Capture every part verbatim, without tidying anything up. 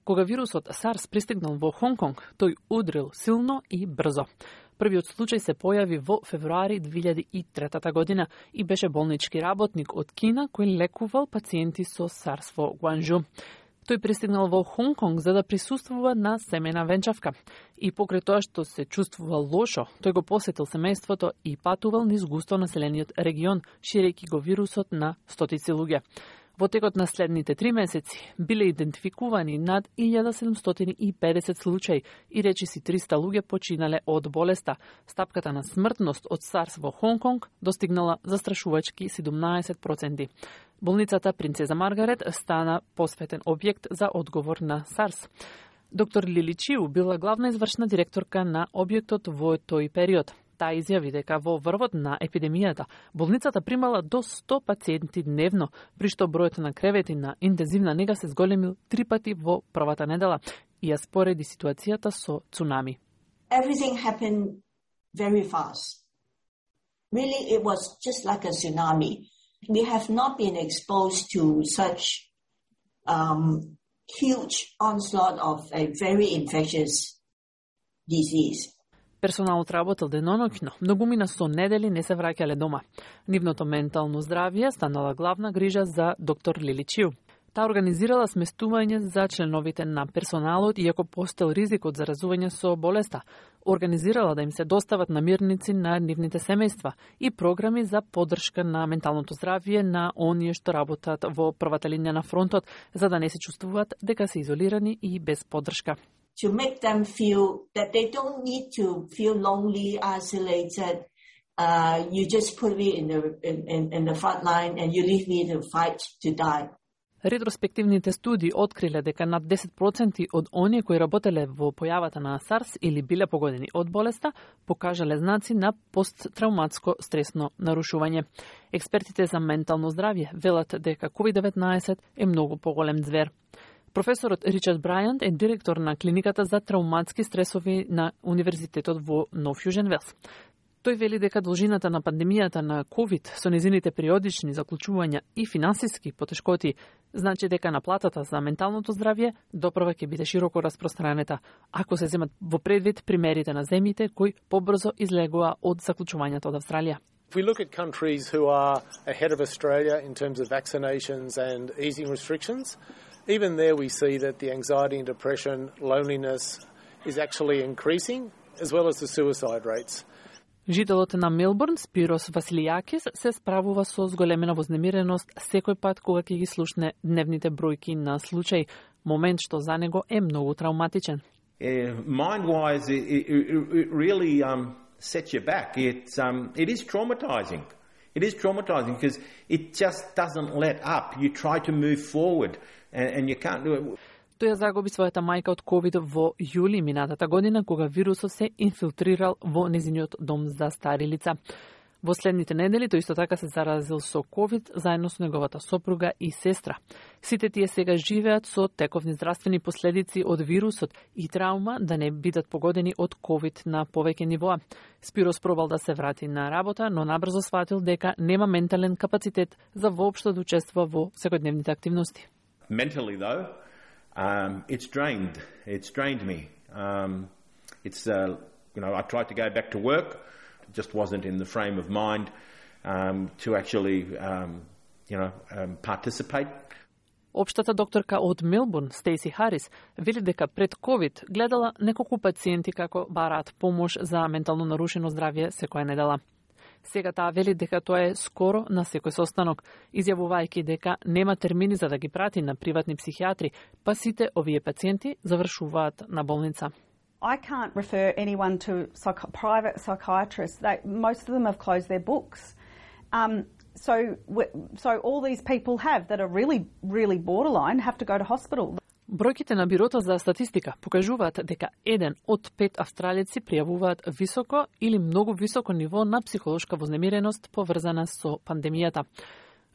Кога вирусот SARS пристигнал во Хонг-Конг, тој удрил силно и брзо. Првиот случај се појави во февруари две илјади и трета година и беше болнички работник од Кина кој лекувал пациенти со SARS во Гуанжу. Тој пристигнал во Хонг-Конг за да присуствува на семејна венчавка. И покрај тоа што се чувствувал лошо, тој го посетил семејството и патувал низ густо населениот регион, ширејќи го вирусот на стотици луѓе. Во текот на следните три месеци биле идентификувани над илјада седумстотини и педесет случаи и речиси триста луѓе починале од болеста. Стапката на смртност од SARS во Хонг-Конг достигнала застрашувачки седумнаесет проценти. Болницата Принцеза Маргарет стана посветен објект за одговор на SARS. Доктор Лили Чиу била главна извршна директорка на објектот во тој период. Таа изјави дека во врвот на епидемијата болницата примала до сто пациенти дневно, при што бројот на кревети на интензивна нега се зголемил три пати во првата недела и ја спореди ситуацијата со цунами. Everything happened very fast. Really, it was just like a tsunami. We have not been exposed to such um, huge onslaught of a very infectious disease. Персоналот работел деноноќно, многумина со недели не се враќале дома. Нивното ментално здравје станала главна грижа за доктор Лили Чиу. Таа организирала сместување за членовите на персоналот, иако постоел ризик од заразување со болеста. Организирала да им се достават намирници на нивните семејства и програми за поддршка на менталното здравје на оние што работат во првата линија на фронтот, за да не се чувствуваат дека се изолирани и без поддршка. To make them feel that they don't need to feel lonely, isolated. Uh, you just put me in the in, in the front line and you leave me to fight to die. Ретроспективните студии откриле дека над десет проценти од оние кои работеле во појавата на SARS или биле погодени од болеста, покажале знаци на посттравматско стресно нарушување. Експертите за ментално здравје велат дека ковид деветнаесет е многу поголем звер. Професорот Ричард Брајант е директор на клиниката за травматски стресови на Универзитетот во Нов Јужен Велс. Тој вели дека должината на пандемијата на ковид со незините периодични заклучувања и финансиски потешкоти значи дека наплатата за менталното здравје допрва ќе биде широко распространета, ако се земат во предвид примерите на земјите кои побрзо излегува од заклучувањето од Австралија. If we look at countries who are ahead of Australia in terms of vaccinations and easing restrictions, even there we see that the anxiety and depression, loneliness is actually increasing, as well as the suicide rates. Жителот на Мелбурн, Спирос Василијакис, се справува со зголемена вознемиреност секој пат кога ќе ги слушне дневните бројки на случаи, момент што за него е многу травматичен. Uh, mind-wise, it, it, it really um, sets you back. It's, um, it is traumatizing. It is traumatizing because it just doesn't let up. You try to move forward and, and you can't do it. Тој ја загуби својата мајка од ковид во јули минатата година, кога вирусот се инфилтрирал во незиниот дом за стари лица. Во следните недели тој исто така се заразил со ковид заедно со неговата сопруга и сестра. Сите тие сега живеат со тековни здравствени последици од вирусот и траума да не бидат погодени од ковид на повеќе нивоа. Спирос пробал да се врати на работа, но набрзо сватил дека нема ментален капацитет за воопшто да учествува во секојдневните активности. Mentally though, Um, it's drained. It's drained me. Um, it's, uh, you know, I tried to go back to work, just wasn't in the frame of mind um, to actually, um, you know, um, participate. Општата докторка од Мелбурн, Стейси Харис, вели дека пред ковид гледала неколку пациенти како бараат помош за ментално нарушено здравје секоја недела. Сега таа вели дека тоа е скоро на секој состанок, изјавувајќи дека нема термини за да ги прати на приватни психијатри, па сите овие пациенти завршуваат на болница. I can't refer anyone to psych- private psychiatrists. They, most of them have closed their books. Um, so, so all these people have that are really, really borderline have to go to hospital. Бројките на Бирото за статистика покажуваат дека еден од пет австралици пријавуваат високо или многу високо ниво на психолошка вознемиреност поврзана со пандемијата.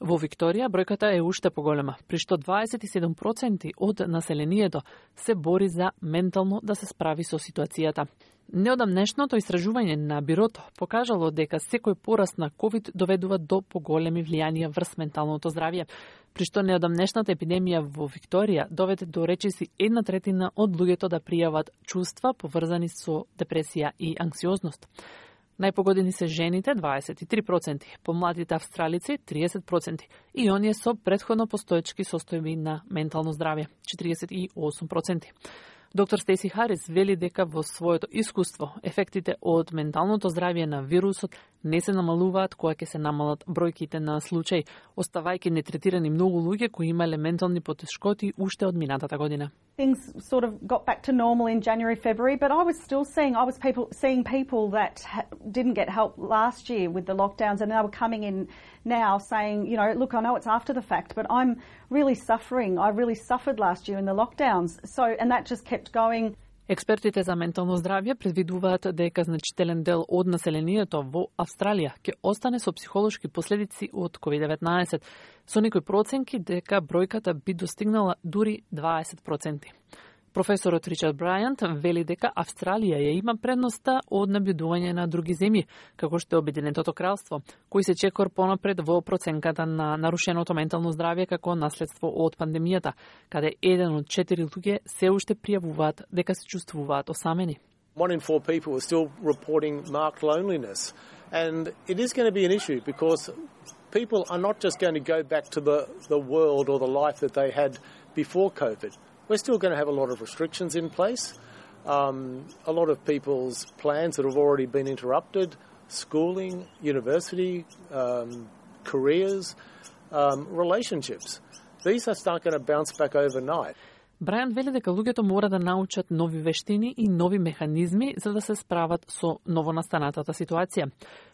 Во Викторија бројката е уште поголема, при што дваесет и седум проценти од населението се бори за ментално да се справи со ситуацијата. Неодамнешното истражување на бирото покажало дека секој пораст на ковид доведува до поголеми влијанија врз менталното здравје, при што неодамнешната епидемија во Викторија доведе до речиси една третина од луѓето да пријават чувства поврзани со депресија и анксиозност. Најпогодени се жените дваесет и три проценти, помладите австралици триесет проценти и оние со претходно постоечки состојби на ментално здравје четириесет и осум проценти. Доктор Стеси Харис вели дека во своето искуство ефектите од менталното здравје на вирусот не се намалуваат кога ќе се намалат бројките на случаи, оставајќи нетретирани многу луѓе кои имале ментални потешкоти уште од минатата година. Things sort of got back to normal in January, February, but I was still seeing I was people seeing people that ha- didn't get help last year with the lockdowns, and they were coming in now saying, you know, look, I know it's after the fact, but I'm really suffering. I really suffered last year in the lockdowns. So, and that just kept going. Експертите за ментално здравје предвидуваат дека значителен дел од населението во Австралија ќе остане со психолошки последици од ковид деветнаесет, со некои проценки дека бројката би достигнала дури дваесет проценти. Професорот Ричард Брајант вели дека Австралија ја има предноста од набљудување на други земји, како што е Обединетото кралство, кои се чекор понапред во проценката на нарушеното ментално здравје како наследство од пандемијата, каде еден од четири луѓе се уште пријавуваат дека се чувствуваат осамени. One in four people are still reporting marked loneliness, and it is going to be an issue because people are not just going to go back to the, the world or the life that they had before COVID. We're still going to have a lot of restrictions in place. Um, a lot of people's plans that have already been interrupted, schooling, university, um, careers, um, relationships. These are not going to bounce back overnight. Брајан вели дека луѓето мора да научат нови вештини и нови механизми за да се справат со новонастанатата ситуација.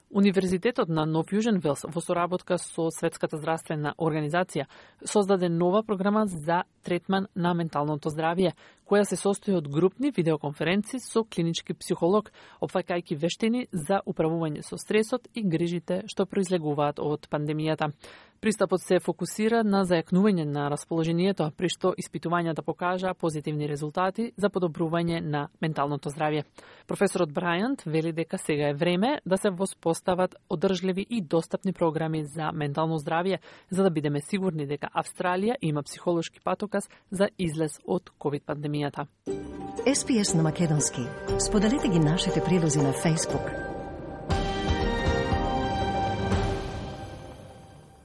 Универзитетот на Нов Јужен Велс во соработка со Светската здравствена организација создаде нова програма за третман на менталното здравје, која се состои од групни видеоконференции со клинички психолог, опфаќајќи вештини за управување со стресот и грижите што произлегуваат од пандемијата. Пристапот се фокусира на зајакнување на расположението, при што испитувањата покажа позитивни резултати за подобрување на менталното здравје. Професорот Брајант вели дека сега е време да се воспостават одржливи и достапни програми за ментално здравје, за да бидеме сигурни дека Австралија има психолошки патокас за излез од ковид пандемијата. Ес Пи Ес на македонски. Споделете ги нашите прилози на Facebook.